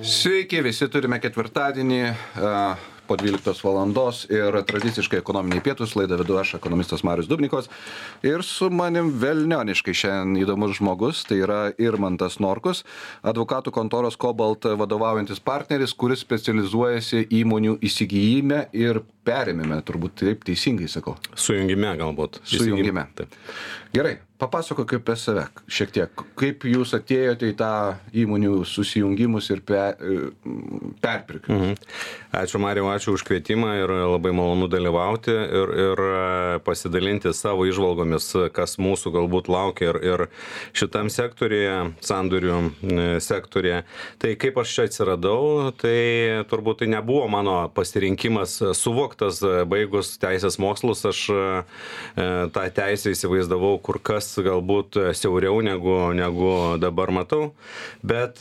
Sveiki, visi turime ketvirtadienį po 12 valandos ir tradiciškai ekonominiai pietus laidą vedu aš, ekonomistas Marius Dubnikovas. Ir su manim velnioniškai šiandien įdomus žmogus, tai yra Irmantas Norkus, advokatų kontoros Cobalt vadovaujantis partneris, kuris specializuojasi įmonių įsigijime ir perėmime, turbūt taip teisingai sakau. Sujungime galbūt. Sujungime. Taip. Gerai, papasakok apie save šiek tiek. Kaip jūs atėjote į tą įmonių susijungimus ir perpirkimus? Ačiū Mariau, ačiū už kvietimą ir labai malonu dalyvauti ir pasidalinti savo įžvalgomis, kas mūsų galbūt laukia ir šitam sektorėje, sandorių sektorėje. Tai kaip aš čia atsiradau, tai turbūt tai nebuvo mano pasirinkimas suvoktas, baigus teisės mokslus, aš tą teisę įsivaizdavau kur kas galbūt siauriau negu dabar matau, bet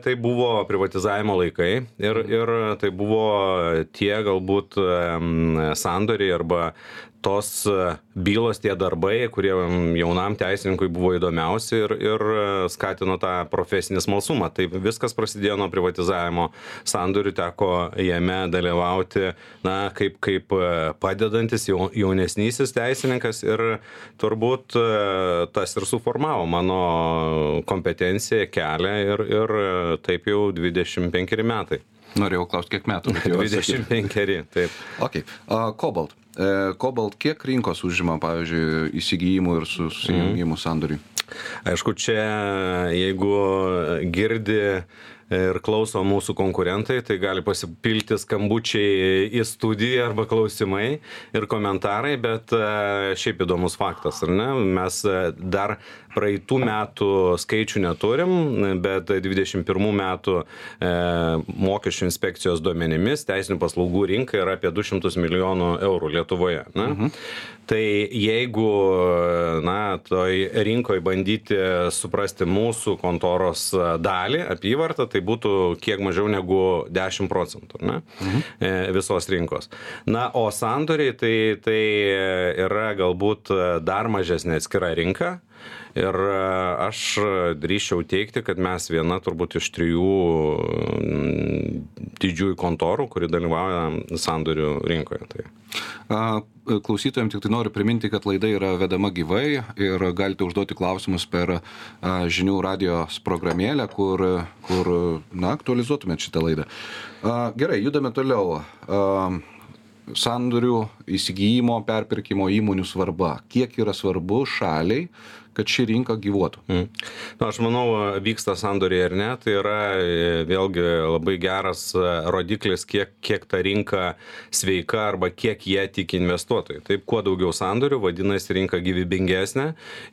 tai buvo privatizavimo laikai ir tai buvo tie galbūt sandoriai arba tos bylos, tie darbai, kurie jaunam teisininkui buvo įdomiausi ir skatino tą profesinį smalsumą. Tai viskas prasidėjo nuo privatizavimo sandorių, teko jame dalyvauti, kaip padedantis jaunesnysis teisininkas ir turbūt tas ir suformavo mano kompetenciją, kelią ir taip jau 25 metai. Norėjau klausti, kiek metų? 25, taip. Okay. Cobalt. Cobalt kiek rinkos užima, pavyzdžiui, įsigijimų ir susijungimų sandoriui? Aišku, čia jeigu girdi ir klauso mūsų konkurentai, tai gali pasipilti skambučiai į studiją arba klausimai ir komentarai, bet šiaip įdomus faktas, ar ne? Mes dar praeitų metų skaičių neturim, bet 21 metų mokesčių inspekcijos duomenimis teisinių paslaugų rinka yra apie 200 milijonų eurų Lietuvoje. Tai jeigu toj rinkoje bandyti suprasti mūsų kontoros dalį, apyvartą, tai būtų kiek mažiau negu 10%, visos rinkos. O sandoriai tai yra galbūt dar mažesnė atskira rinka. Ir aš drįsčiau teigti, kad mes viena turbūt iš 3 didžiųjų kontorų, kuri dalyvauja sandorių rinkoje. Klausytojams tik tai noriu priminti, kad laida yra vedama gyvai ir galite užduoti klausimus per žinių radijos programėlę, kur aktualizuotumėt šitą laidą. Gerai, judame toliau. Sandorių įsigijimo, perpirkimo įmonių svarba. Kiek yra svarbu šaliai, kad ši rinka gyvuotų? Aš manau, vyksta sandoriai ar ne, tai yra vėlgi labai geras rodiklis, kiek ta rinka sveika arba kiek jie tiki investuotojai. Taip, kuo daugiau sandorių, vadinasi rinka gyvybingesnė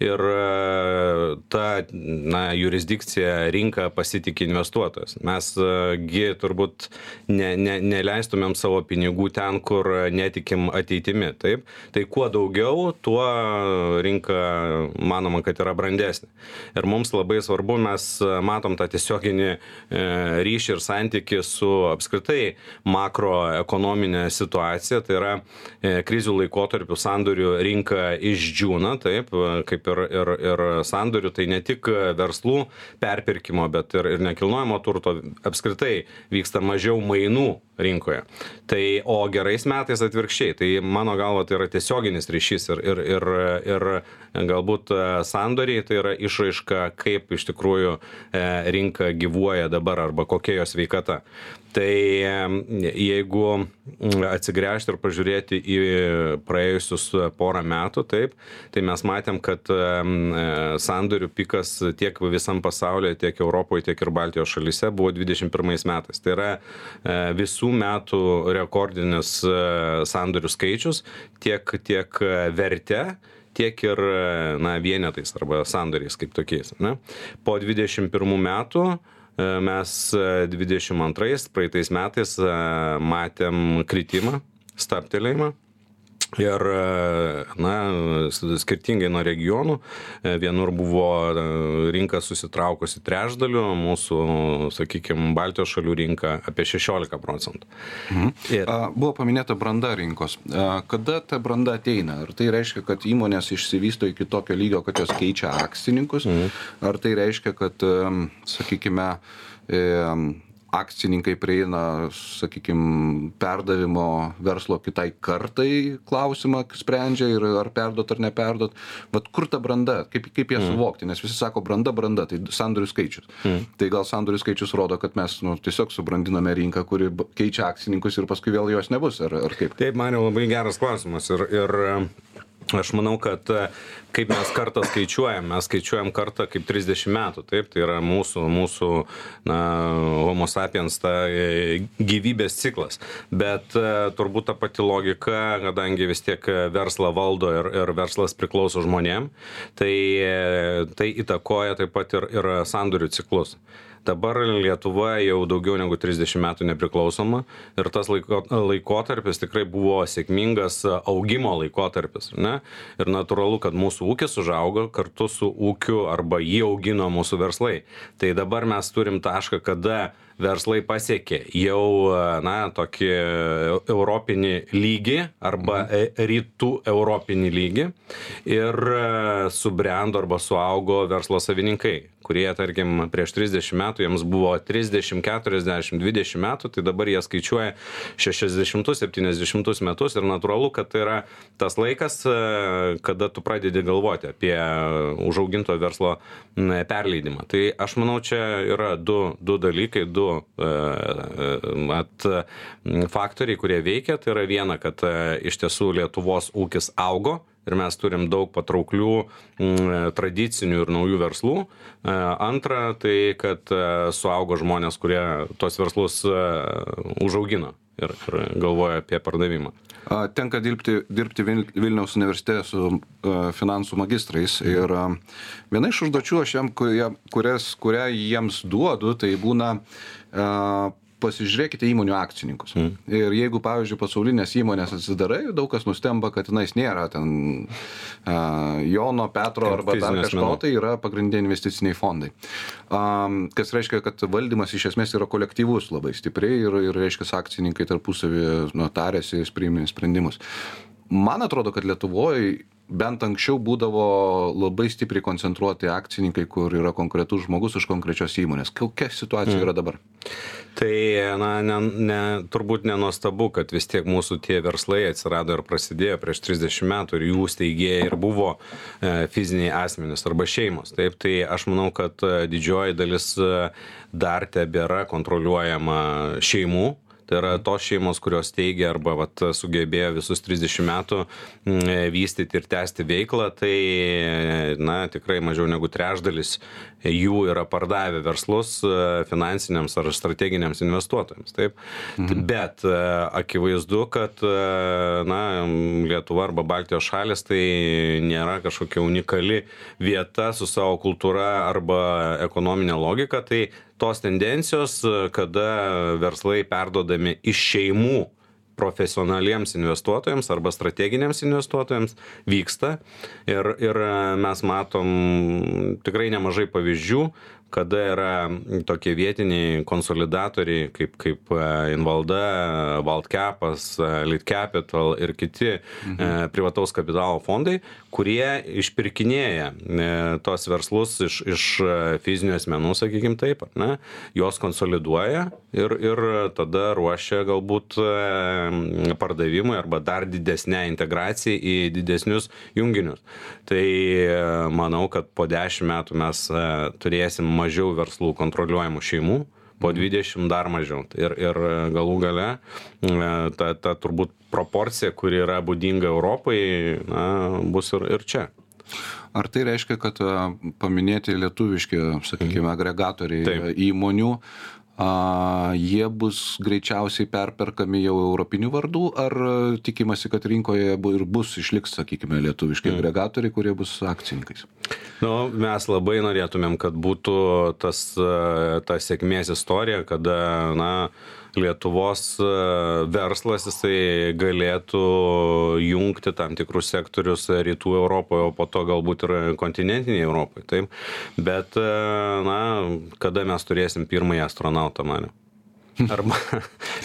ir ta jurisdikcija rinka pasitiki investuotojas. Mesgi turbūt neleistumėm savo pinigų ten, kur netikim ateitimi. Taip? Tai kuo daugiau, tuo rinka manoma, kad yra brandesnė. Ir mums labai svarbu, mes matom tą tiesioginį ryšį ir santykį su apskritai makroekonominė situacija, tai yra krizių laikotarpių sandorių rinka išdžiūna, taip, kaip ir sandorių, tai ne tik verslų perpirkimo, bet ir nekilnojamo turto apskritai vyksta mažiau mainų rinkoje. O gerais metais atvirkščiai. Tai mano galva tai yra tiesioginis ryšys ir galbūt sandoriai tai yra išraiška, kaip iš tikrųjų rinka gyvuoja dabar arba kokia jos sveikata. Tai jeigu atsigręžti ir pažiūrėti į praėjusius porą metų, taip, tai mes matėm, kad sandorių pikas tiek visam pasaulyje, tiek Europoje, tiek ir Baltijos šalyse buvo 21 metais. Tai yra visų metų rekordinis sandorių skaičius, tiek verte, tiek ir vienetais arba sandoriais kaip tokiais. Po 21 metų mes 22 praeitais metais matėm kritimą, stabtelėjimą. Ir, skirtingai nuo regionų, vienur buvo rinka susitraukusi trečdaliu, mūsų, sakykime, Baltijos šalių rinka apie 16%. Buvo paminėta branda rinkos. Kada ta branda ateina? Ar tai reiškia, kad įmonės išsivysto iki tokio lygio, kad jos keičia akcininkus? Ar tai reiškia, kad, sakykime, akcininkai prieina, sakykime, perdavimo verslo kitai kartai klausimą sprendžia ir ar perduot ar neperdot. Vat kur ta branda, kaip ją suvokti, nes visi sako branda, tai sandorių skaičius. Tai gal sandorių skaičius rodo, kad mes tiesiog subrandiname rinką, kuri keičia akcininkus ir paskui vėl jos nebus, ar kaip? Taip, man jau labai geras klausimas ir aš manau, kad kaip mes kartą skaičiuojam, mes skaičiuojam kartą kaip 30 metų, taip, tai yra mūsų homo sapiens ta gyvybės ciklas, bet turbūt ta pati logika, kadangi vis tiek verslą valdo ir verslas priklauso žmonėm, tai įtakoja taip pat ir sandorių ciklus. Dabar Lietuva jau daugiau negu 30 metų nepriklausoma ir tas laikotarpis tikrai buvo sėkmingas augimo laikotarpis, ne? Ir natūralu, kad mūsų ūkis užaugo kartu su ūkiu arba jį augino mūsų verslai. Tai dabar mes turim tašką, kada verslai pasiekė jau, tokį europinį lygį arba rytų europinį lygį ir subrendo arba suaugo verslo savininkai, kurie, tarkim, prieš 30 metų, jiems buvo 30, 40, 20 metų, tai dabar jie skaičiuoja 60, 70 metus ir natūralu, kad tai yra tas laikas, kada tu pradedi galvoti apie užauginto verslo perleidimą. Tai aš manau, čia yra du dalykai, faktoriai, kurie veikia. Tai yra viena, kad iš tiesų Lietuvos ūkis augo ir mes turim daug patrauklių tradicinių ir naujų verslų. Antra, tai kad suaugo žmonės, kurie tos verslus užaugino ir galvoja apie pardavimą. Tenka dirbti Vilniaus universitete su finansų magistrais ir viena iš užduočių aš kurią jiems duodu, tai būna pasižiūrėkite įmonių akcininkus. Ir jeigu, pavyzdžiui, pasaulinės įmonės atsidarai, daug kas nustemba, kad tenais nėra ten Jono, Petro arba dar kažko, tai yra pagrindiniai investiciniai fondai. Kas reiškia, kad valdymas iš esmės yra kolektyvus labai stipriai ir reiškia, akcininkai tarpusavį tarėsi, priėmė sprendimus. Man atrodo, kad Lietuvoje bent anksčiau būdavo labai stipriai koncentruoti akcininkai, kur yra konkretus žmogus iš konkrečios įmonės. Kokia situacija yra dabar? Tai, turbūt nenuostabu, kad vis tiek mūsų tie verslai atsirado ir prasidėjo prieš 30 metų ir jų steigėjai ir buvo fiziniai asmenys arba šeimos. Taip, tai aš manau, kad didžioji dalis dar tebėra kontroliuojama šeimų. Tai yra tos šeimos, kurios teigia arba sugebėjo visus 30 metų vystyti ir tęsti veiklą, tai tikrai mažiau negu trečdalis jų yra pardavę verslus finansiniams ar strateginiams investuotojams. Taip. Bet akivaizdu, kad Lietuva arba Baltijos šalis tai nėra kažkokia unikali vieta su savo kultūra arba ekonominė logika. Tai tos tendencijos, kada verslai perdodami iš šeimų profesionaliems investuotojams arba strateginiams investuotojams vyksta ir mes matom tikrai nemažai pavyzdžių, kada yra tokie vietiniai konsolidatoriai kaip Invalda, Baltcapas, Litcapital ir kiti privataus kapitalo fondai, kurie išpirkinėja tos verslus iš fizinių asmenų, sakykim taip, juos konsoliduoja ir tada ruošia galbūt pardavimui arba dar didesnę integraciją į didesnius junginius. Tai manau, kad po 10 metų mes turėsim mažiau verslų kontroliuojamų šeimų, po 20 dar mažiau. Ir galų gale ta turbūt proporcija, kuri yra būdinga Europai, bus ir čia. Ar tai reiškia, kad paminėti lietuviški, sakykime, agregatoriai įmonių, jie bus greičiausiai perperkami jau europinių vardų, ar tikimasi, kad rinkoje ir išliks, sakykime, lietuviški agregatoriai, kurie bus akcininkais? Mes labai norėtumėm, kad būtų ta sėkmės istorija, kada Lietuvos verslas jisai galėtų jungti tam tikrus sektorius rytų Europoje, o po to galbūt ir kontinentinėje Europoje. Taip. Bet kada mes turėsim pirmąjį astronautą, manau? Arba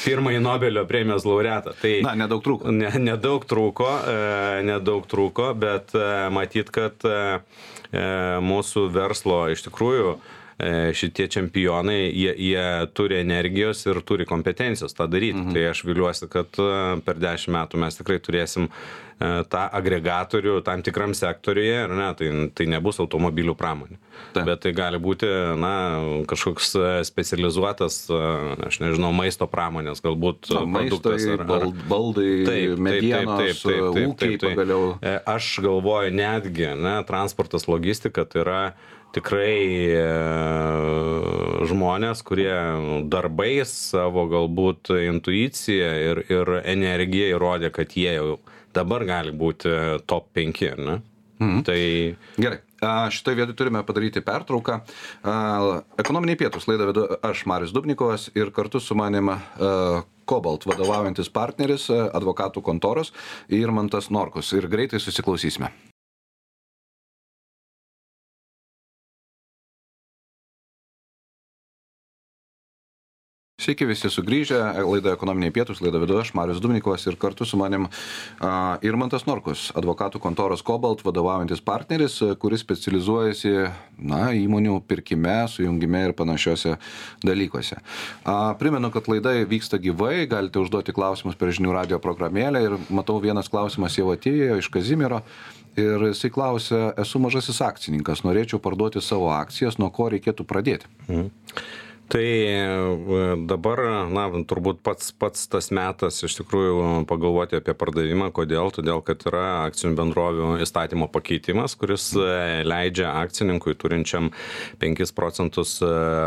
pirmąjį Nobelio premijos laureatą. Tai nedaug trūko. Nedaug trūko, bet matyt, kad mūsų verslo iš tikrųjų šitie čempionai, jie turi energijos ir turi kompetencijos tą daryti. Tai aš viliuosi, kad per 10 metų mes tikrai turėsim tą agregatorių tam tikram sektoriuje, ar ne, tai nebus automobilių pramonė. Bet tai gali būti, kažkoks specializuotas, aš nežinau, maisto pramonės, galbūt produktas. Baldai, medienos, ūkiai pagaliau. Aš galvoju netgi, transportas, logistika, tai yra tikrai žmonės, kurie darbais savo galbūt intuiciją ir energiją įrodė, kad jie jau dabar gali būti top 5, ne? Tai... Gerai. Šitoj vietoj turime padaryti pertrauką. Ekonominiai pietūs laidą vedu aš, Marius Dubnikovas, ir kartu su manim Cobalt vadovaujantis partneris, advokatų kontoros Irmantas Norkus. Ir greitai susiklausysime. Sveiki visi sugrįžę, laida Ekonominiai pietūs, laidą vedu aš, Marius Dubnikovas, ir kartu su manim Irmantas Norkus, advokatų kontoros Cobalt vadovaujantis partneris, kuris specializuojasi įmonių pirkime, sujungime ir panašiose dalykuose. Primenu, kad laida vyksta gyvai, galite užduoti klausimus per žinių radio programėlę ir matau vienas klausimas jau atėjo iš Kazimiero ir jisai klausia, esu mažasis akcininkas, norėčiau parduoti savo akcijas, nuo ko reikėtų pradėti? Tai dabar, turbūt pats tas metas iš tikrųjų pagalvoti apie pardavimą. Kodėl? Todėl, kad yra akcinių bendrovių įstatymo pakeitimas, kuris leidžia akcininkui turinčiam 5%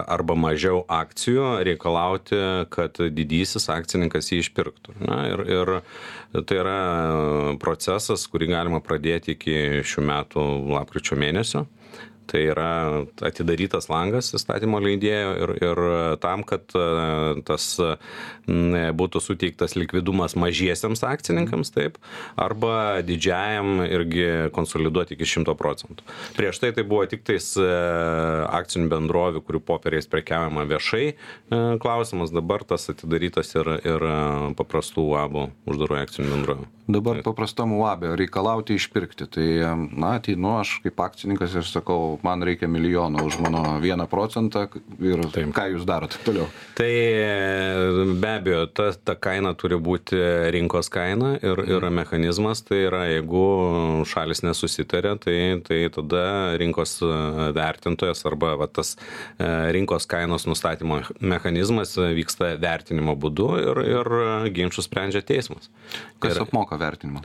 arba mažiau akcijų reikalauti, kad didysis akcininkas jį išpirktų. Ir tai yra procesas, kurį galima pradėti iki šių metų lapkričio mėnesio. Tai yra atidarytas langas įstatymo leidėjo ir tam, kad tas būtų suteiktas likvidumas mažiesiams akcininkams, taip, arba didžiajam irgi konsoliduoti iki 100%. Prieš tai buvo tik tais akcinių bendrovių, kurių popieriais prekiaujama viešai klausimas, dabar tas atidarytas ir paprastų UABų, uždarų akcinių bendrovių. Dabar paprastam UABė reikalauti išpirkti, tai ateinu aš kaip akcininkas ir sakau, man reikia milijoną už mano 1% ir taip. Ką jūs darot toliau? Tai be abejo, ta kaina turi būti rinkos kaina ir mechanizmas, tai yra, jeigu šalis nesusitarė, tai tada rinkos vertintojas arba tas rinkos kainos nustatymo mechanizmas vyksta vertinimo būdu ir ginčus sprendžia teismas. Kas apmoka vertinimą?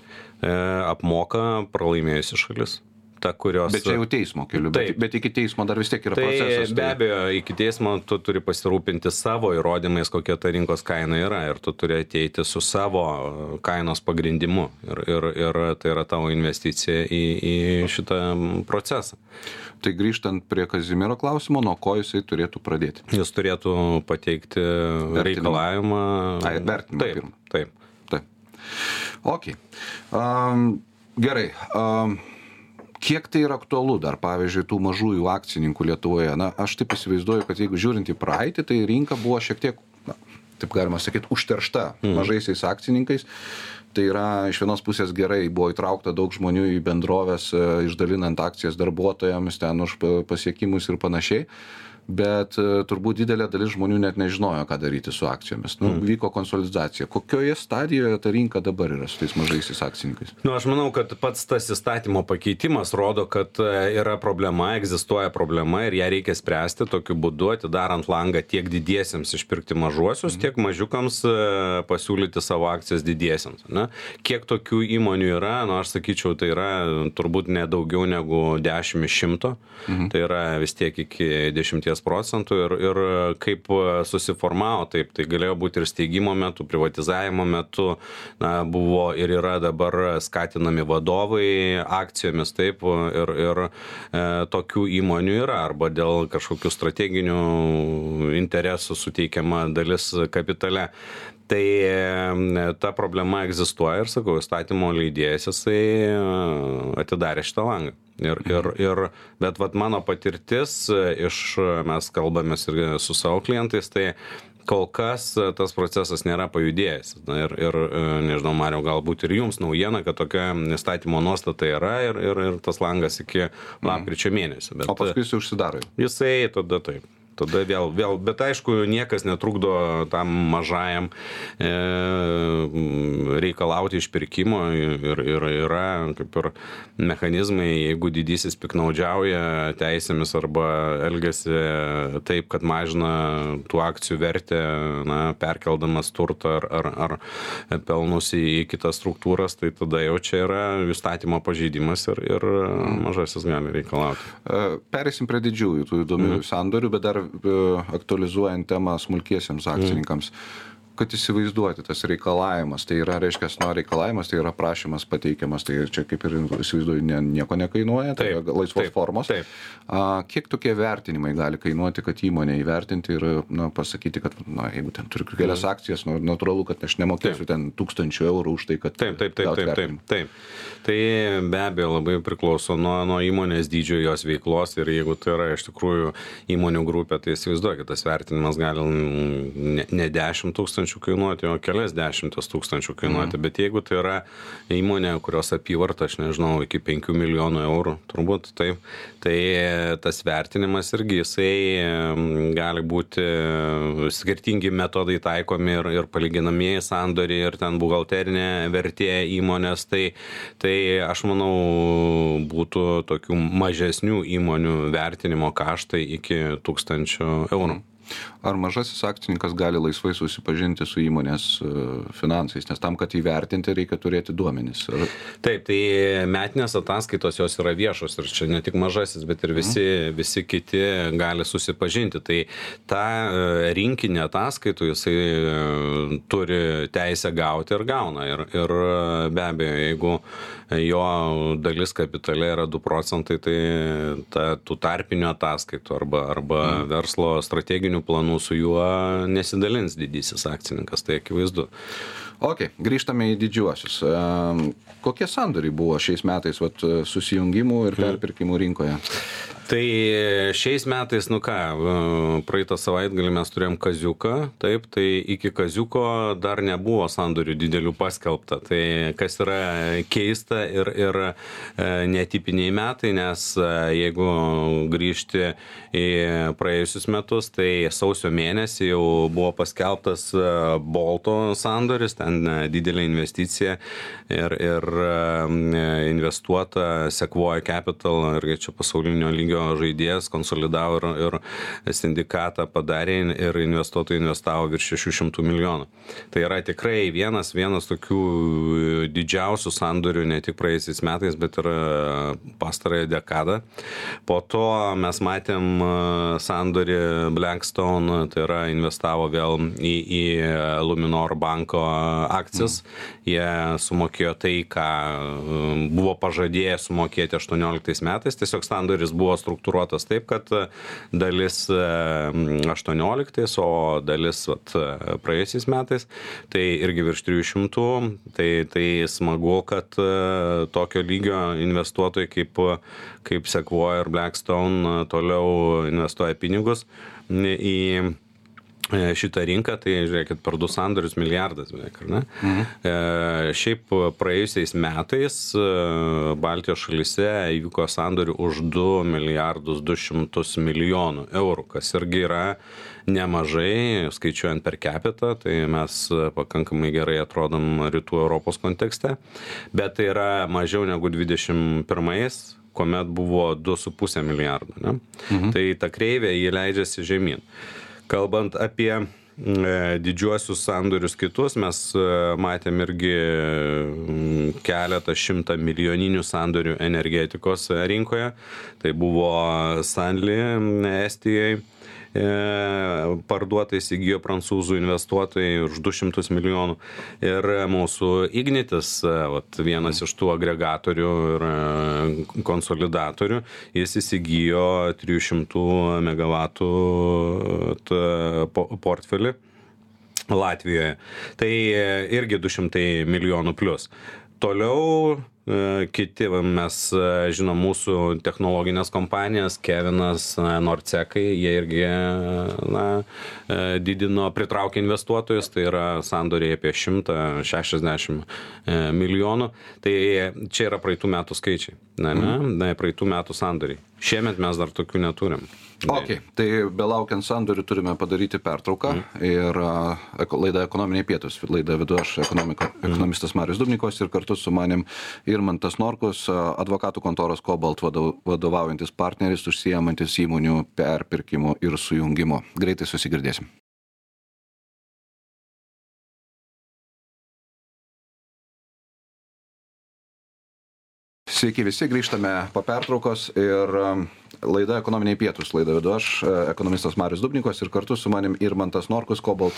Apmoka pralaimėjusi šalis. Bet čia jau teismo keliu, bet iki teismo dar vis tiek yra procesas. Be abejo, iki teismo tu turi pasirūpinti savo įrodymais, kokia ta rinkos kaina yra, ir tu turi ateiti su savo kainos pagrindimu ir tai yra tavo investicija į šitą procesą. Tai grįžtant prie Kazimiero klausimo, nuo ko jisai turėtų pradėti? Jis turėtų pateikti reikalavimą. Vertinimą pirmą. Taip. Ok. Gerai. Kiek tai yra aktualu dar, pavyzdžiui, tų mažųjų akcininkų Lietuvoje? Aš taip įsivaizduoju, kad jeigu žiūrint į praeitį, tai rinka buvo šiek tiek, taip galima sakyti, užteršta mažaisiais akcininkais. Tai yra, iš vienos pusės gerai, buvo įtraukta daug žmonių į bendrovės, išdalinant akcijas darbuotojams, ten už pasiekimus ir panašiai. Bet turbūt didelė dalis žmonių net nežinojo, ką daryti su akcijomis. Vyko konsolidacija. Kokioje stadijoje ta rinka dabar yra su tais mažaisiais akcininkais? Aš manau, kad pats tas įstatymo pakeitimas rodo, kad yra problema, egzistuoja problema ir ją reikia spręsti tokiu būdu, atidarant langą tiek didiesiems išpirkti mažuosius, tiek mažiukams pasiūlyti savo akcijas didiesiems. Kiek tokių įmonių yra? Aš sakyčiau, tai yra turbūt nedaugiau negu 10 iš 100. Tai yra vis tiek iki 10% ir kaip susiformavo, taip, tai galėjo būti ir steigimo metu, privatizavimo metu, buvo ir yra dabar skatinami vadovai akcijomis, taip, ir tokių įmonių yra, arba dėl kažkokių strateginių interesų suteikiama dalis kapitale. Tai ta problema egzistuoja ir, sakau, įstatymo leidėjas jisai atidarė šitą langą. Bet mano patirtis mes kalbamės ir su savo klientais, tai kol kas tas procesas nėra pajudėjęs. Ir nežinau, Mariau, galbūt ir jums naujiena, kad tokia įstatymo nuostata yra ir tas langas iki lapkričio mėnesio. O paskui jis užsidaro. Jisai tada taip. Tada vėl, bet aišku, niekas netrukdo tam mažajam reikalauti išpirkimo ir yra kaip ir mechanizmai, jeigu didysis piknaudžiauja teisėmis arba elgiasi taip, kad mažina tų akcijų vertę, perkeldamas turtą ar pelnus į kitas struktūras, tai tada jau čia yra įstatymo pažeidimas ir mažasis gali reikalauti. Pereisim prie didžiųjų, tų įdomių sandorių, bet dar aktualizuojant temą smulkiesiems akcininkams, kad įsivaizduoti tas reikalavimas, tai yra, reiškia, reikalavimas, tai yra prašymas pateikiamas, tai čia kaip ir įsivaizduoju, nieko nekainuoja, tai yra laisvos formos. Taip. Kiek tokie vertinimai gali kainuoti, kad įmonė įvertinti ir pasakyti, kad jeigu ten turiu kelias akcijas, natūralu, kad aš nemokėsiu ten 1000 eurų už tai, kad Taip. Tai be abejo labai priklauso nuo įmonės dydžio, jos veiklos ir jeigu tai yra iš tikrųjų įmonių grupė, tai įsivaizduokit, tas vertinimas gali ne 10 000 kainuoti, o kelias 10 000 kainuoti, bet jeigu tai yra įmonė, kurios apyvarta, aš nežinau, iki 5 milijonų eurų, turbūt taip, tai tas vertinimas irgi jisai gali būti skirtingi metodai taikomi ir palyginamieji sandoriai ir ten buhalterinė vertė įmonės, tai aš manau būtų tokių mažesnių įmonių vertinimo kaštai iki 1000 eurų. Ar mažasis akcininkas gali laisvai susipažinti su įmonės finansais, nes tam, kad įvertinti, reikia turėti duomenis? Taip, tai metinės ataskaitos jos yra viešos ir čia ne tik mažasis, bet ir visi kiti gali susipažinti. Tai tą rinkinį ataskaitų jisai turi teisę gauti ir gauna. Ir be abejo, jeigu jo dalis kapitale yra 2 procentai, tai tų tarpinių ataskaitų arba verslo strateginių planų su juo nesidalins didysis akcininkas, tai akivaizdu. Ok, grįžtame į didžiuosius. Kokie sandoriai buvo šiais metais susijungimų ir perpirkimų rinkoje? Tai šiais metais, praeitą savaitgalį mes turėjom Kaziuką, taip, tai iki Kaziuko dar nebuvo sandorių didelių paskelbta. Tai kas yra keista ir netipiniai metai, nes jeigu grįžti į praėjusius metus, tai sausio mėnesį jau buvo paskelbtas Bolto sandoris, ten didelė investicija ir investuota Sequoia Capital, irgi čia pasaulinio lygio žaidėjas, konsolidavo ir sindikatą padarė ir investuotojai investavo virš 600 milijonų. Tai yra tikrai vienas tokių didžiausių sandorių ne tik praėjusiais metais, bet ir pastarąją dekadą. Po to mes matėm sandorį Blackstone, tai yra investavo vėl į Luminor banko akcijas. Jie sumokėjo tai, ką buvo pažadėję sumokėti 18 metais. Tiesiog sandoris buvo struktūruotas taip, kad dalis 18, o dalis praėjusiais metais, tai irgi virš 300, tai smagu, kad tokio lygio investuotojai kaip Sequoia ir Blackstone toliau investuoja pinigus į šitą rinką, tai žiūrėkit, per 2 sandorius milijardas beveik, ar ne? Šiaip praėjusiais metais Baltijos šalyse įvyko sandorių už 2 milijardus 200 milijonų eurų, kas irgi yra nemažai, skaičiuojant per capita, tai mes pakankamai gerai atrodom rytų Europos kontekste, bet tai yra mažiau negu 21-ais, kuomet buvo 2,5 milijardo, ne? Tai ta kreivė, jį leidžiasi žemyn. Kalbant apie didžiuosius sandorius kitus, mes matėm irgi keletą 100 milijoninių sandorių energetikos rinkoje. Tai buvo Stanley Estijai parduota, įsigijo prancūzų investuotojai už 200 milijonų. Ir mūsų Ignitis, vienas iš tų agregatorių ir konsolidatorių, jis įsigijo 300 megavatų portfelį Latvijoje. Tai irgi 200 milijonų plus. Toliau kiti, mes žinom mūsų technologinės kompanijas, Kevinas, Norcekai, jie irgi didino, pritraukė investuotojus, tai yra sandoriai apie 160 milijonų. Tai čia yra praeitų metų skaičiai, praeitų metų sandoriai. Šiemet mes dar tokių neturim. Ok, tai belaukiant sandorių turime padaryti pertrauką ir laida Ekonominiai pietūs, laida vedu aš, ekonomistas Marius Dubnikovas, ir kartu su manim Irmantas Norkus, advokatų kontoros Cobalt vadovaujantis partneris, užsiimantis įmonių perpirkimo ir sujungimo. Greitai susigirdėsim. Sveiki visi, grįžtame po pertraukos ir laida Ekonominiai pietūs, laida vedu aš, ekonomistas Marius Dubnikovas, ir kartu su manim Irmantas Norkus, Cobalt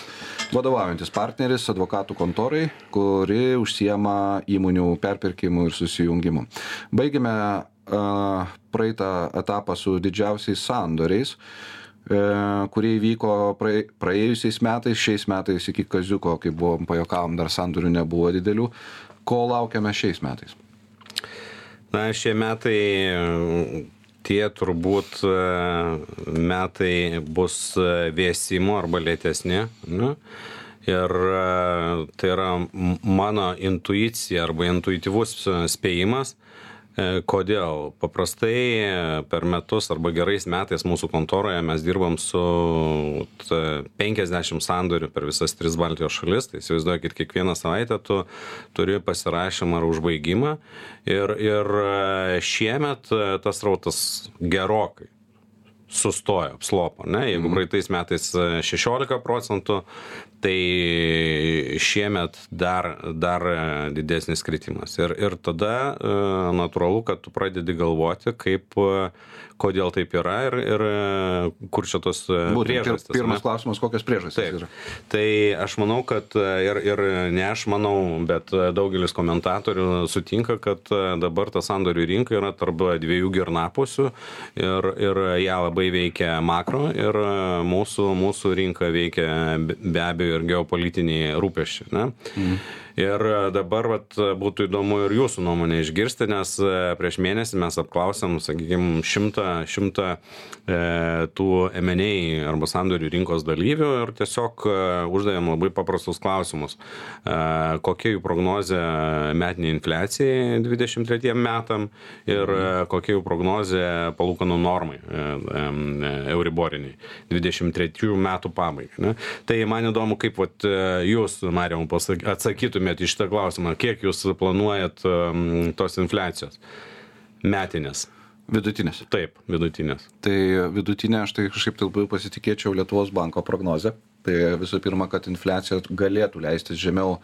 vadovaujantis partneris advokatų kontorai, kuri užsiema įmonių perpirkimu ir susijungimu. Baigėme praeitą etapą su didžiausiais sandoriais, kurie įvyko praėjusiais metais, šiais metais iki kaziuko, kai buvom pajuokavom, dar sandorių nebuvo didelių. Ko laukiame šiais metais? Na, šie metai, tie turbūt metai bus vėsimo arba lėtesni. Ir tai yra mano intuicija arba intuityvus spėjimas. Kodėl? Paprastai per metus arba gerais metais mūsų kontoroje mes dirbam su 50 sandorių per visas 3 Baltijos šalis. Tai įsivaizduokit, kiekvieną savaitę tu turi pasirašymą ar užbaigimą. Ir šiemet tas rautas gerokai sustojo, apslopo. Jeigu praeitais metais 16%, tai šiemet dar didesnis kritimas. Ir tada natūralu, kad tu pradedi galvoti, kodėl taip yra ir kur čia tos priežastys. Pirmas klausimas, kokios priežastys yra? Tai aš manau, kad ir ne aš manau, bet daugelis komentatorių sutinka, kad dabar ta sandorių rinka yra tarp 2 girnapusių ir ją labai veikia makro ir mūsų rinka veikia be abejo ir geopolitiniai rūpesčiai. Ir dabar būtų įdomu ir jūsų nuomonę išgirsti, nes prieš mėnesį mes apklausėm, sakykime, 100 tų M&A arba sandorių rinkos dalyvių ir tiesiog uždavėm labai paprastus klausimus. Kokia jų prognozė metinė infliacijai 23 metam ir kokia jų prognozė palūkanų normai euriboriniai 23 metų pabaigai. Tai man įdomu, kaip jūs, Marijau, atsakytumėte į šitą klausimą, kiek jūs planuojat tos infliacijos metinės? Vidutinės. Taip, vidutinės. Tai vidutinė, aš tai kažkaip labiau pasitikėčiau Lietuvos banko prognozę. Tai visų pirma, kad infliacija galėtų leistis žemiau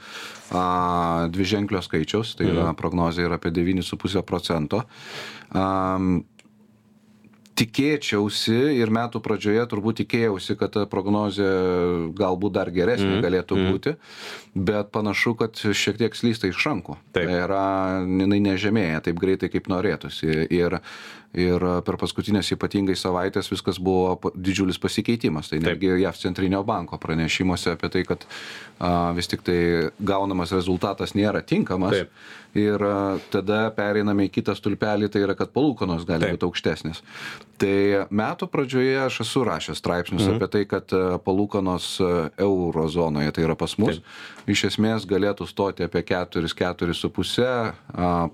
dviženklio skaičiaus, tai yra prognozė yra apie 9,5%. Tikėčiausi ir metų pradžioje turbūt tikėjausi, kad ta prognozė galbūt dar geresnė galėtų būti, bet panašu, kad šiek tiek slysta iš rankų. Tai yra, jinai nežemėja taip greitai, kaip norėtųsi. Ir per paskutinės ypatingai savaitės viskas buvo didžiulis pasikeitimas. Tai netgi JAV centrinio banko pranešimuose apie tai, kad vis tik tai gaunamas rezultatas nėra tinkamas. Ir tada pereiname į kitą stulpelį, tai yra, kad palūkanos gali būti aukštesnės. Tai metų pradžioje aš esu rašęs straipsnius apie tai, kad palūkanos eurozonoje, tai yra pas mus, iš esmės galėtų stoti apie 4,5.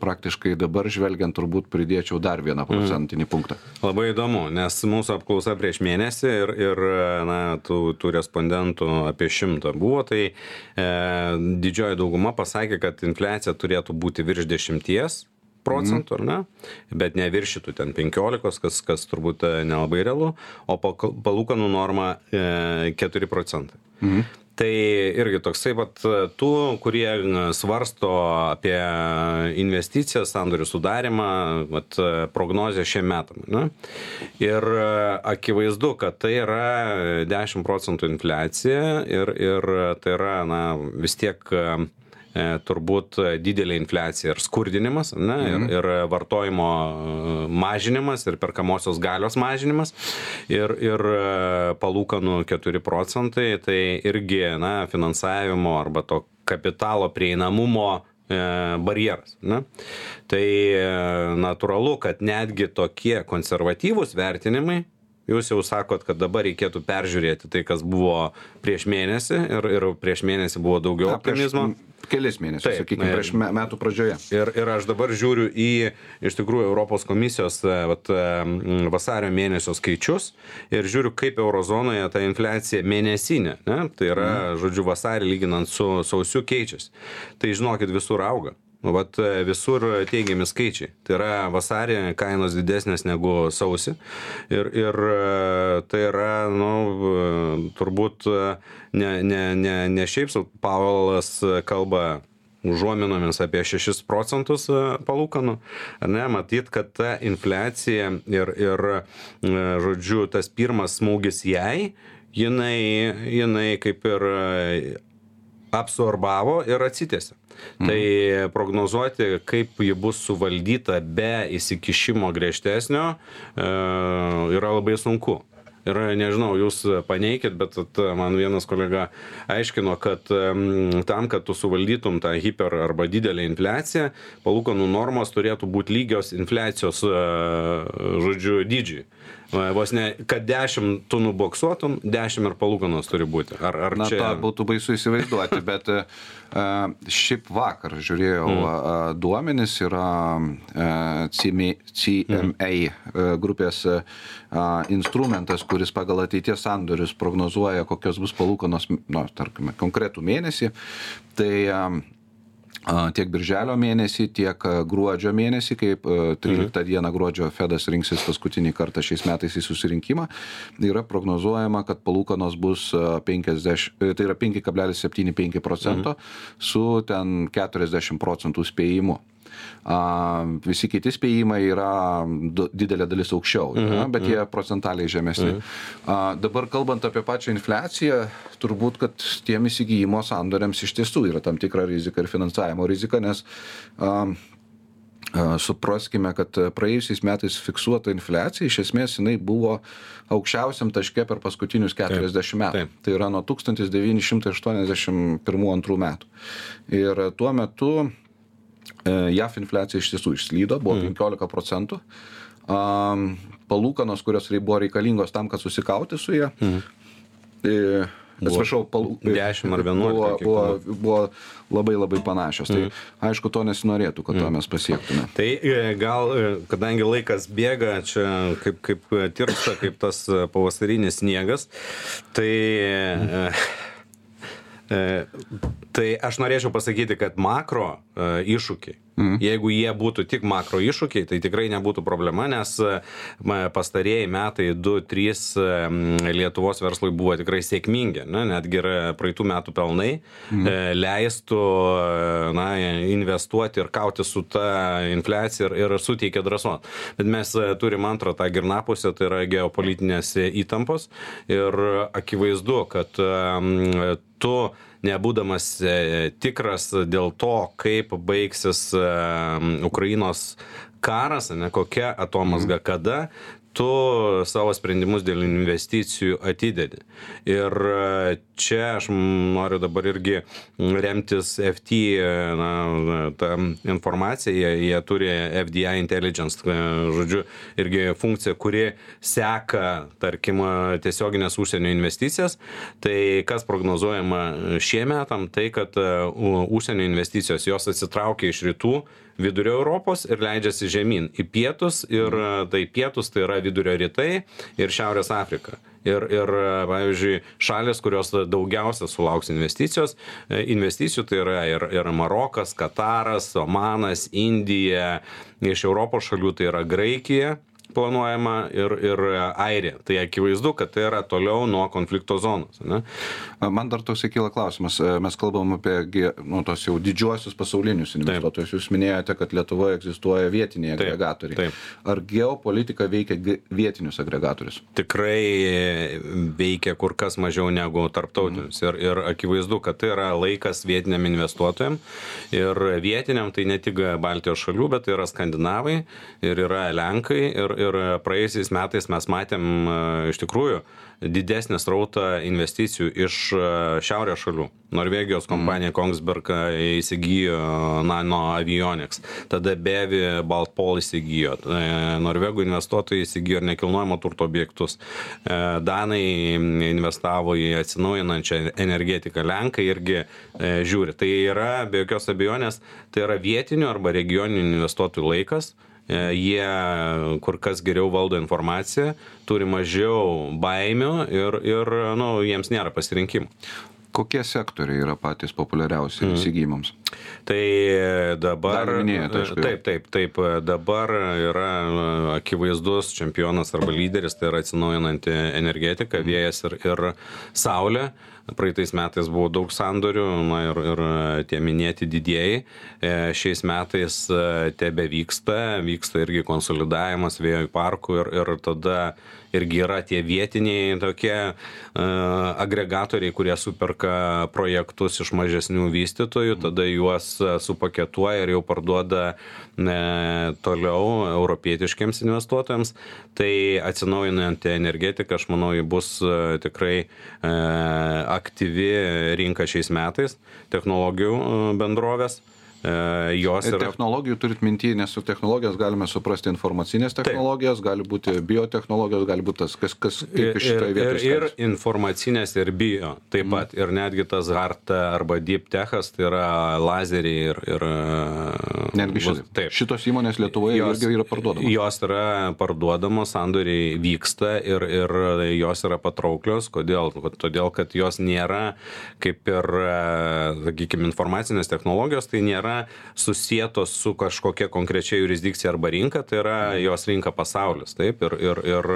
Praktiškai dabar žvelgiant turbūt pridėčiau dar 1% punktą. Labai įdomu, nes mūsų apklausa prieš mėnesį ir tų respondentų apie 100 buvo, tai didžioji dauguma pasakė, kad infliacija turėtų būti virš 10%, ar ne? Bet neviršytų ten 15, kas turbūt nelabai realu, o palūkanų norma 4%. Tai irgi toksai, tų, kurie svarsto apie investicijas, sandorių sudarimą, prognozę šiem metam. Ne? Ir akivaizdu, kad tai yra 10% infliacija ir tai yra vis tiek turbūt didelė infliacija ir skurdinimas, ir vartojimo mažinimas, ir perkamosios galios mažinimas, ir palūkanų 4%, tai irgi finansavimo arba to kapitalo prieinamumo barjeras. Ne? Tai natūralu, kad netgi tokie konservatyvūs vertinimai, jūs jau sakot, kad dabar reikėtų peržiūrėti tai, kas buvo prieš mėnesį ir prieš mėnesį buvo daugiau optimizmo. Kelis mėnesius, sakykime, prieš metų pradžioje. Ir aš dabar žiūriu į, iš tikrųjų, Europos komisijos vasario mėnesio skaičius ir žiūriu, kaip eurozonoje ta infliacija mėnesinė, ne? Tai yra, žodžiu, vasarį lyginant su sausiu keičiasi. Tai žinokit, visur auga. Vat visur teigiami skaičiai. Tai yra vasarį kainos didesnės negu sausį. Ir tai yra, turbūt ne šiaip sau Paulas kalba užuominomis apie 6% palūkanų. Ne, matyt, kad ta infliacija ir žodžiu, tas pirmas smūgis jai, jinai kaip ir absorbavo ir atsitėsi. Tai prognozuoti, kaip ji bus suvaldyta be įsikišimo griežtesnio, yra labai sunku. Ir nežinau, jūs paneikit, bet man vienas kolega aiškino, kad tam, kad tu suvaldytum tą hiper arba didelę infliaciją, palūkanų normos turėtų būti lygios infliacijos, žodžiu, dydžiui. Vos ne, kad 10 tu nuboksuotum, 10 ir palūkanos turi būti. Ar na, čia... tą būtų baisu įsivaizduoti, bet šiaip vakar žiūrėjau duomenis, yra CMA grupės instrumentas, kuris pagal ateities sandorius prognozuoja, kokios bus palūkanos, tarkime, konkretų mėnesį. Tai tiek birželio mėnesį, tiek gruodžio mėnesį, kaip 13 dieną gruodžio Fedas rinksis paskutinį kartą šiais metais į susirinkimą, yra prognozuojama, kad palūkanos bus 5,75% su ten 40% spėjimu. Visi kiti spėjimai yra didelė dalis aukščiau, bet jie procentaliai žemesni. Dabar kalbant apie pačią infliaciją, turbūt, kad tiem įsigijimo sandoriams iš tiesų yra tam tikra rizika ir finansavimo rizika, nes supraskime, kad praėjusiais metais fiksuota infliacija, iš esmės jinai buvo aukščiausiam taške per paskutinius 40 metų. Tai yra nuo 1981-2 metų. Ir tuo metu JAF infliacija iš tiesų išslydo, buvo 15%. Palūkanos, kurios buvo reikalingos tam, kad susikauti su ją, atsiprašau, 10 ar 11 buvo labai labai panašios. Tai aišku, to nesinorėtų, kad to mes pasiektume. Tai gal, kadangi laikas bėga, čia kaip tirpsta, kaip tas pavasarinis sniegas, tai aš norėčiau pasakyti, kad makro iššūkiai, jeigu jie būtų tik makro iššūkiai, tai tikrai nebūtų problema, nes pastarėjai metai 2-3 Lietuvos verslui buvo tikrai sėkmingi, netgi ir praeitų metų pelnai leistų investuoti ir kauti su ta infliacija ir suteikia drąsos. Bet mes turim antrą tą girnapusę, tai yra geopolitinės įtampos ir akivaizdu, kad tu nebūdamas tikras dėl to, kaip baigsis Ukrainos karas, kokia atomazga kada, tu savo sprendimus dėl investicijų atidedi. Ir čia aš noriu dabar irgi remtis FT tą informaciją, jie turi FDI Intelligence, žodžiu, irgi funkcija, kuri seka, tarkim, tiesioginės užsienio investicijas. Tai kas prognozuojama šie metam, tai kad užsienio investicijos jos atsitraukia iš rytų, vidurio Europos ir leidžiasi žemyn į pietus, ir tai pietus tai yra vidurio rytai ir Šiaurės Afrika. Ir pavyzdžiui, šalis, kurios daugiausia sulauks investicijų, tai yra ir Marokas, Kataras, Omanas, Indija, iš Europos šalių tai yra Graikija planuojama ir Airija. Tai akivaizdu, kad tai yra toliau nuo konflikto zonos. Ne? Man dar toks kyla klausimas. Mes kalbam apie tos jau didžiuosius pasaulinius investuotojus. Jūs minėjote, kad Lietuvoje egzistuoja vietiniai agregatoriai. Taip. Ar geopolitika veikia vietinius agregatorius? Tikrai veikia kur kas mažiau negu tarptautinius. Ir akivaizdu, kad tai yra laikas vietiniam investuotojam. Ir vietiniam tai ne tik Baltijos šalių, bet tai yra skandinavai, ir yra Lenkai, ir praėjusiais metais mes matėm iš tikrųjų didesnį srautą investicijų iš šiaurės šalių. Norvegijos kompanija Kongsberg įsigijo Nano Avionics, tada Bevi Baltpol įsigijo, norvegų investuotojai įsigijo ir nekilnojamo turto objektus, danai investavo į atsinaujinančią energetiką, lenkai irgi žiūri. Tai yra, be jokios abejonės, tai yra vietinių arba regioninių investuotojų laikas. Jie kur kas geriau valdo informaciją, turi mažiau baimių ir jiems nėra pasirinkimų. Kokie sektoriai yra patys populiariausi įsigijimams? Tai dabar, taip, dabar yra akivaizdus čempionas arba lyderis, tai yra atsinaujinanti energetika, vėjas ir saulė. Praeitais metais buvo daug sandorių, ir tie minėti didieji. Šiais metais tebe vyksta irgi konsolidavimas vėjo parkų ir tada irgi yra tie vietiniai tokie agregatoriai, kurie superka projektus iš mažesnių vystytojų, tada juos supaketuoja ir jau parduoda toliau europietiškiams investuotojams. Tai atsinaujinanti energetika, aš manau, bus tikrai aktyvi rinka šiais metais, technologijų bendrovės. Technologijų turit minty, nes su technologijos galime suprasti informacinės technologijos, gali būti biotechnologijos, gali būti tas, kas kaip iš šitoje vietoje. Ir informacinės, ir bio, taip pat. Ir netgi tas hard arba deep techas, tai yra lazeriai ir netgi šitos įmonės Lietuvoje irgi yra parduodamos. Jos yra parduodamos, sandoriai vyksta ir jos yra patrauklios. Kodėl? Todėl, kad jos nėra kaip ir, sakykime, informacinės technologijos, tai nėra susietos su kažkokia konkrečia jurisdikcija arba rinka, tai yra jos rinka pasaulis, taip, ir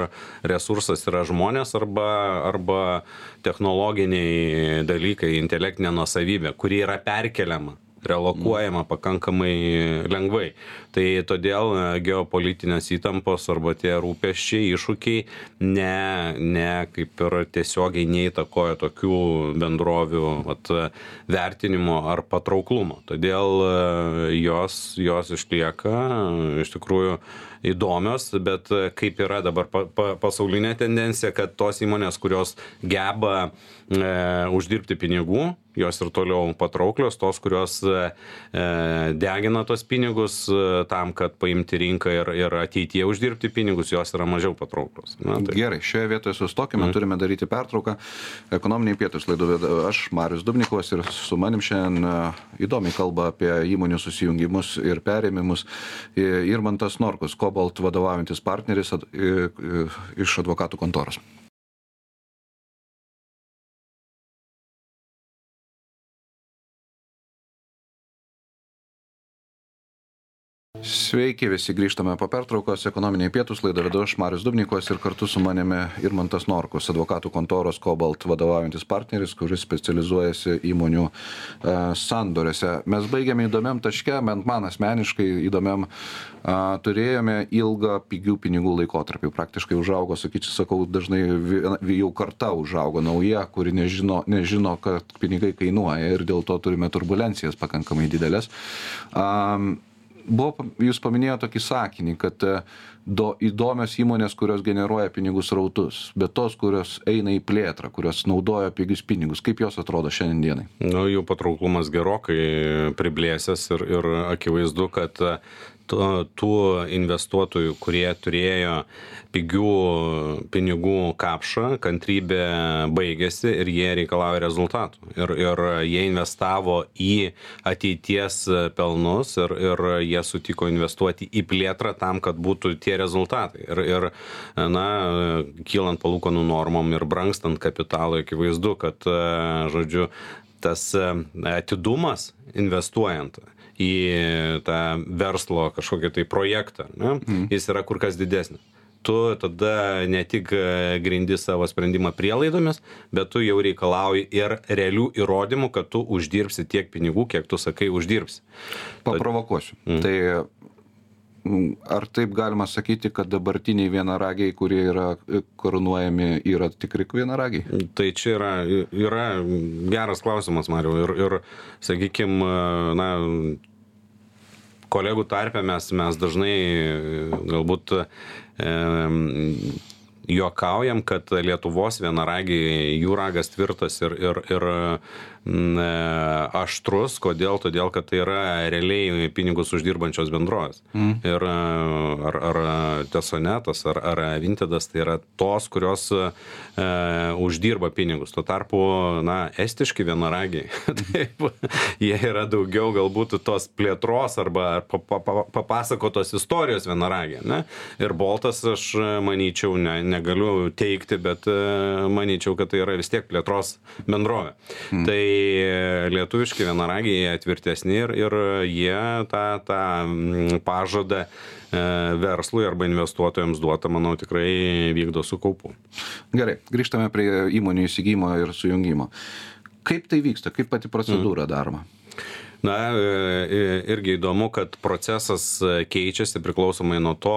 resursas yra žmonės arba technologiniai dalykai, intelektinė nuosavybė, kuri yra perkeliama, relokuojama pakankamai lengvai. Tai todėl geopolitinės įtampos arba tie rūpesčiai, iššūkiai ne kaip ir tiesiogiai neįtakoja tokių bendrovių vertinimo ar patrauklumo. Todėl jos išlieka iš tikrųjų įdomios, bet kaip yra dabar pasaulinė tendencija, kad tos įmonės, kurios geba uždirbti pinigų, jos ir toliau patrauklios, tos, kurios degina tos pinigus tam, kad paimti rinką ir ateityje uždirbti pinigus, jos yra mažiau patrauklios. Gerai, šioje vietoje sustokime, turime daryti pertrauką. Ekonominiai pietūs laidą vedu aš, Marius Dubnikovas, ir su manim šiandien įdomiai kalba apie įmonių susijungimus ir perėmimus Irmantas Norkus, Cobalt vadovaujantis partneris iš advokatų kontoros. Sveiki, visi grįžtame po pertraukos. Ekonominiai pietūs laidą vedu aš, Marius Dubnikovas, ir kartu su manimi Irmantas Norkus, advokatų kontoros Cobalt vadovaujantis partneris, kuris specializuojasi įmonių sandoriuose. Mes baigėme įdomiam taške, bent man asmeniškai įdomiam, turėjome ilgą pigių pinigų laikotarpį. Praktiškai užaugo, sakau, dažnai jau karta užaugo nauja, kuri nežino, kad pinigai kainuoja, ir dėl to turime turbulencijas pakankamai didelės. Jūs paminėjote tokį sakinį, kad įdomios įmonės, kurios generuoja pinigų srautus, bet tos, kurios eina į plėtrą, kurios naudoja pigius pinigus, kaip jos atrodo šiandien dienai? Jų patrauklumas gerokai priblėsęs ir akivaizdu, kad tų investuotojų, kurie turėjo pigių pinigų kapšą, kantrybė baigėsi ir jie reikalauja rezultatų. Ir jie investavo į ateities pelnus ir jie sutiko investuoti į plėtrą tam, kad būtų tie rezultatai. Ir kylant palūkanų normom ir brangstant kapitalui, akivaizdu, kad, tas atidumas investuojant į tą verslo kažkokį tai projektą, jis yra kur kas didesnis. Tu tada ne tik grindi savo sprendimą prielaidomis, bet tu jau reikalauji ir realių įrodymų, kad tu uždirbsi tiek pinigų, kiek tu sakai uždirbsi. Paprovokuosiu. Tai ar taip galima sakyti, kad dabartiniai vienaragiai, kurie yra karūnuojami, yra tikri vienaragiai? Tai čia yra geras klausimas, Mariau. Ir sakykime, kolegų tarpe mes dažnai galbūt juokaujam, kad Lietuvos vienaragiai, jų ragas tvirtas ir aštrus. Kodėl? Todėl, kad tai yra realiai pinigus uždirbančios bendrovės. Ir ar Tesonetas, ar Vintedas, tai yra tos, kurios uždirba pinigus. Tuo tarpu, estiški vienaragiai, taip, jie yra daugiau galbūt tos plėtros arba papasakotos istorijos vienaragiai. Ne? Ir Boltas, aš manyčiau, negaliu teikti, bet manyčiau, kad tai yra vis tiek plėtros bendrovė. Tai lietuviški vienaragiai tvirtesni ir jie tą pažadą verslui arba investuotojams duota, manau, tikrai vykdo su kaupu. Gerai, grįžtame prie įmonių įsigymo ir sujungimo. Kaip tai vyksta? Kaip pati procedūra daroma? Irgi įdomu, kad procesas keičiasi priklausomai nuo to,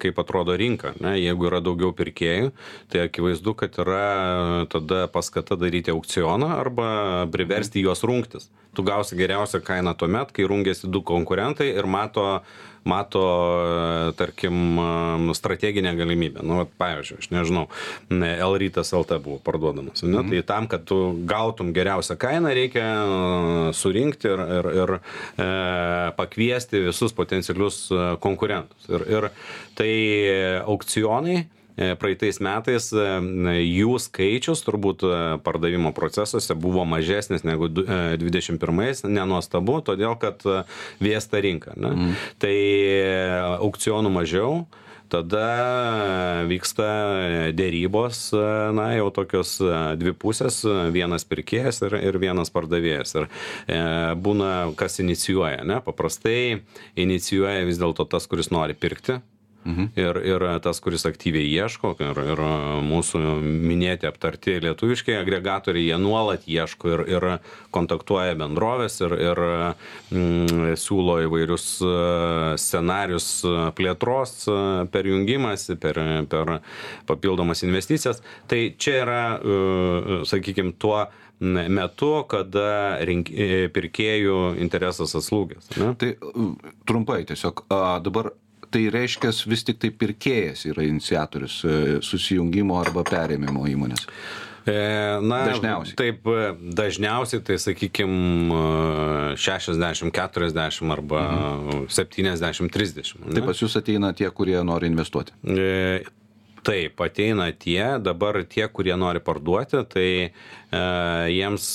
kaip atrodo rinka. Jeigu yra daugiau pirkėjų, tai akivaizdu, kad yra tada paskata daryti aukcioną arba priversti juos rungtis. Tu gausi geriausią kainą tuomet, kai rungiasi du konkurentai ir mato, tarkim, strateginę galimybę. Pavyzdžiui, aš nežinau, L-Rytas LT buvo parduodamas. Tai tam, kad tu gautum geriausią kainą, reikia surinkti ir pakviesti visus potencialius konkurentus. Ir tai aukcionai praeitais metais jų skaičius turbūt pardavimo procesuose buvo mažesnis negu 21, nenuostabu, todėl kad vėsta rinka. Tai aukcionų mažiau, tada vyksta dėrybos, jau tokios dvi pusės, vienas pirkėjas ir vienas pardavėjas. Ir būna, kas inicijuoja, paprastai inicijuoja vis dėlto tas, kuris nori pirkti. Ir tas, kuris aktyviai ieško, ir mūsų minėti aptarti lietuviškai agregatoriai, jie nuolat ieško ir kontaktuoja bendrovės ir siūlo įvairius scenarius plėtros per jungimąsi, per papildomas investicijas. Tai čia yra, sakykime, tuo metu, kada pirkėjų interesas atslūgęs. Tai trumpai tiesiog, dabar tai reiškia vis tik tai pirkėjas yra iniciatorius susijungimo arba perėmimo įmonės. Dažniausiai. Taip, dažniausiai tai, sakykime, 60-40 arba 70-30. Tai pas jūs ateina tie, kurie nori investuoti? Taip, ateina dabar tie, kurie nori parduoti, tai jiems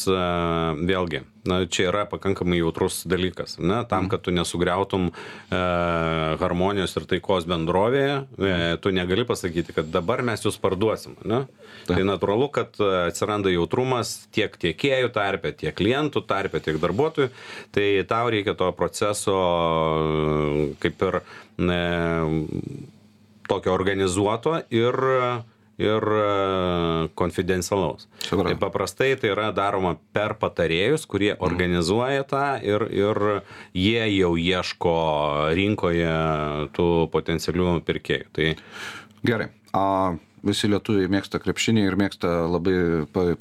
vėlgi, čia yra pakankamai jautrus dalykas. Tam, kad tu nesugriautum harmonijos ir taikos bendrovėje, tu negali pasakyti, kad dabar mes jūs parduosim. Tai natūralu, kad atsiranda jautrumas tiek tiekėjų tarpe, tiek klientų tarpe, tiek darbuotojų. Tai tau reikia to proceso kaip ir tokio organizuoto ir konfidencialaus. Tai paprastai tai yra daroma per patarėjus, kurie organizuoja tą ir jie jau ieško rinkoje tų potencialių pirkėjų. Tai... Gerai. Visi lietuviai mėgsta krepšinį ir mėgsta labai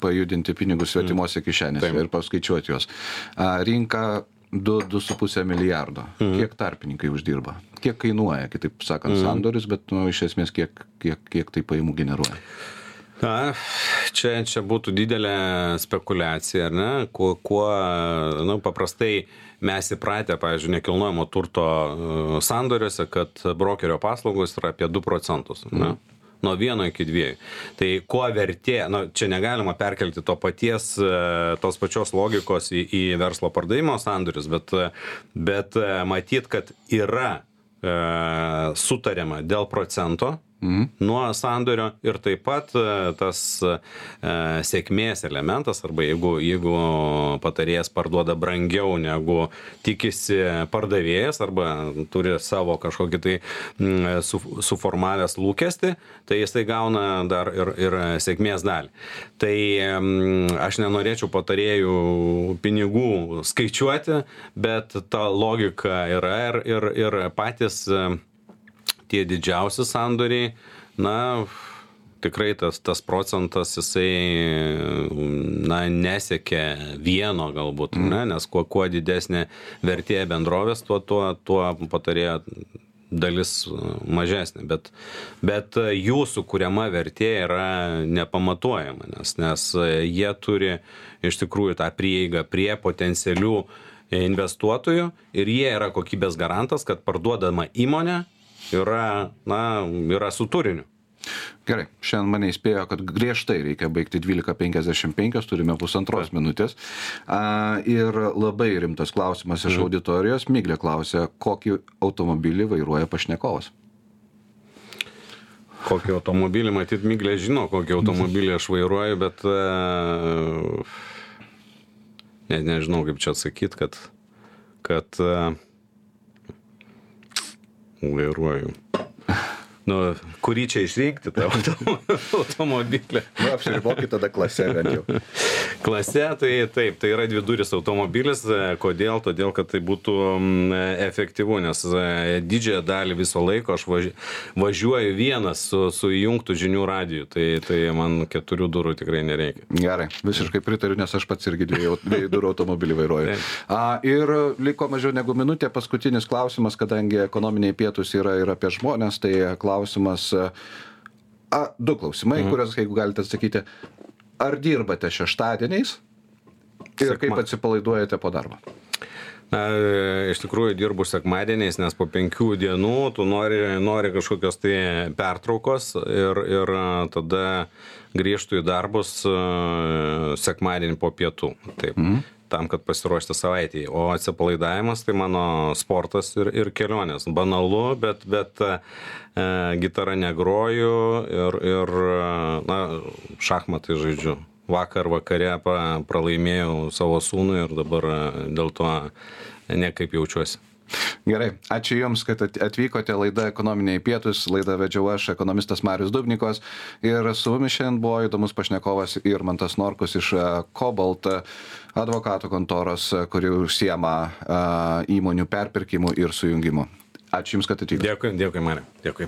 pajudinti pinigus svetimose kišenėse ir paskaičiuoti juos. Rinka 2,5 milijardo. Kiek tarpininkai uždirba? Kiek kainuoja, kitaip sakant, sandoris, bet iš esmės kiek tai pajamų generuoja? Čia būtų didelė spekulacija, ar ne? Paprastai mes įpratę, pavyzdžiui, nekilnojamo turto sandoriuose, kad brokerio paslaugos yra apie 2%. Nuo 1 iki 2. Tai kuo vertė, čia negalima perkelti tos pačios logikos į verslo pardavimo sandorius, bet matyt, kad yra sutariama dėl procento nuo sandorio ir taip pat tas sėkmės elementas, arba jeigu patarėjas parduoda brangiau negu tikisi pardavėjas, arba turi savo kažkokį tai suformavęs lūkestį, tai jisai gauna dar ir sėkmės dalį. Tai aš nenorėčiau patarėjų pinigų skaičiuoti, bet ta logika yra ir patys tie didžiausi sandoriai, tikrai tas procentas jisai, nesiekia vieno galbūt, nes kuo didesnė vertė bendrovės, tuo patarėjo dalis mažesnė, bet jų sukuriama vertė yra nepamatuojama, nes jie turi iš tikrųjų tą prieigą prie potencialių investuotojų ir jie yra kokybės garantas, kad parduodama įmonė yra su turiniu. Gerai, šiandien mane įspėjo, kad griežtai reikia baigti 12:55, turime 1,5 minutės. Ir labai rimtas klausimas iš auditorijos. Miglė klausė, kokį automobilį vairuoja pašnekovas. Kokį automobilį, matyt, Miglė žino, kokį automobilį aš vairuoju, bet nežinau, kaip čia atsakyti, kad vairuoju. Kurį čia išrinkti tą automobilį? Apsiribokit tada klase bent jau. Klase, tai taip, tai yra dviduris automobilis. Kodėl? Todėl, kad tai būtų efektyvu, nes didžiąją dalį viso laiko aš važiuoju vienas su įjungtų žinių radiju. Tai man 4 durų tikrai nereikia. Gerai, visiškai pritariu, nes aš pats irgi 2 durų automobilį vairuoju. Ir liko mažiau negu minutė. Paskutinis klausimas, kadangi ekonominiai pietūs yra ir apie žmonės, tai klausimas, 2 klausimai, kuriuos, jeigu galite atsakyti. Ar dirbate šeštadieniais ir kaip atsipalaiduojate po darbo? Iš tikrųjų dirbu sekmadieniais, nes po 5 dienų tu nori kažkokios tai pertraukos ir tada grįžtu į darbus sekmadienį po pietų. Taip. Tam, kad pasiruošti savaitėje. O atsipalaidavimas tai mano sportas ir kelionės. Banalu, bet gitarą negroju ir šachmatai žaidžiu. Vakare pralaimėjau savo sūnui ir dabar dėl to nekaip jaučiuosi. Gerai, ačiū Jums, kad atvykote. Laida Ekonominiai pietūs, laidą vedžiau aš, ekonomistas Marius Dubnikovas, ir su mumis šiandien buvo įdomus pašnekovas Irmantas Norkus iš Cobalt advokatų kontoros, kuri užsiema įmonių perpirkimu ir sujungimu. Ačiū Jums, kad atvykote. Dėkui, Mariau. Dėkui.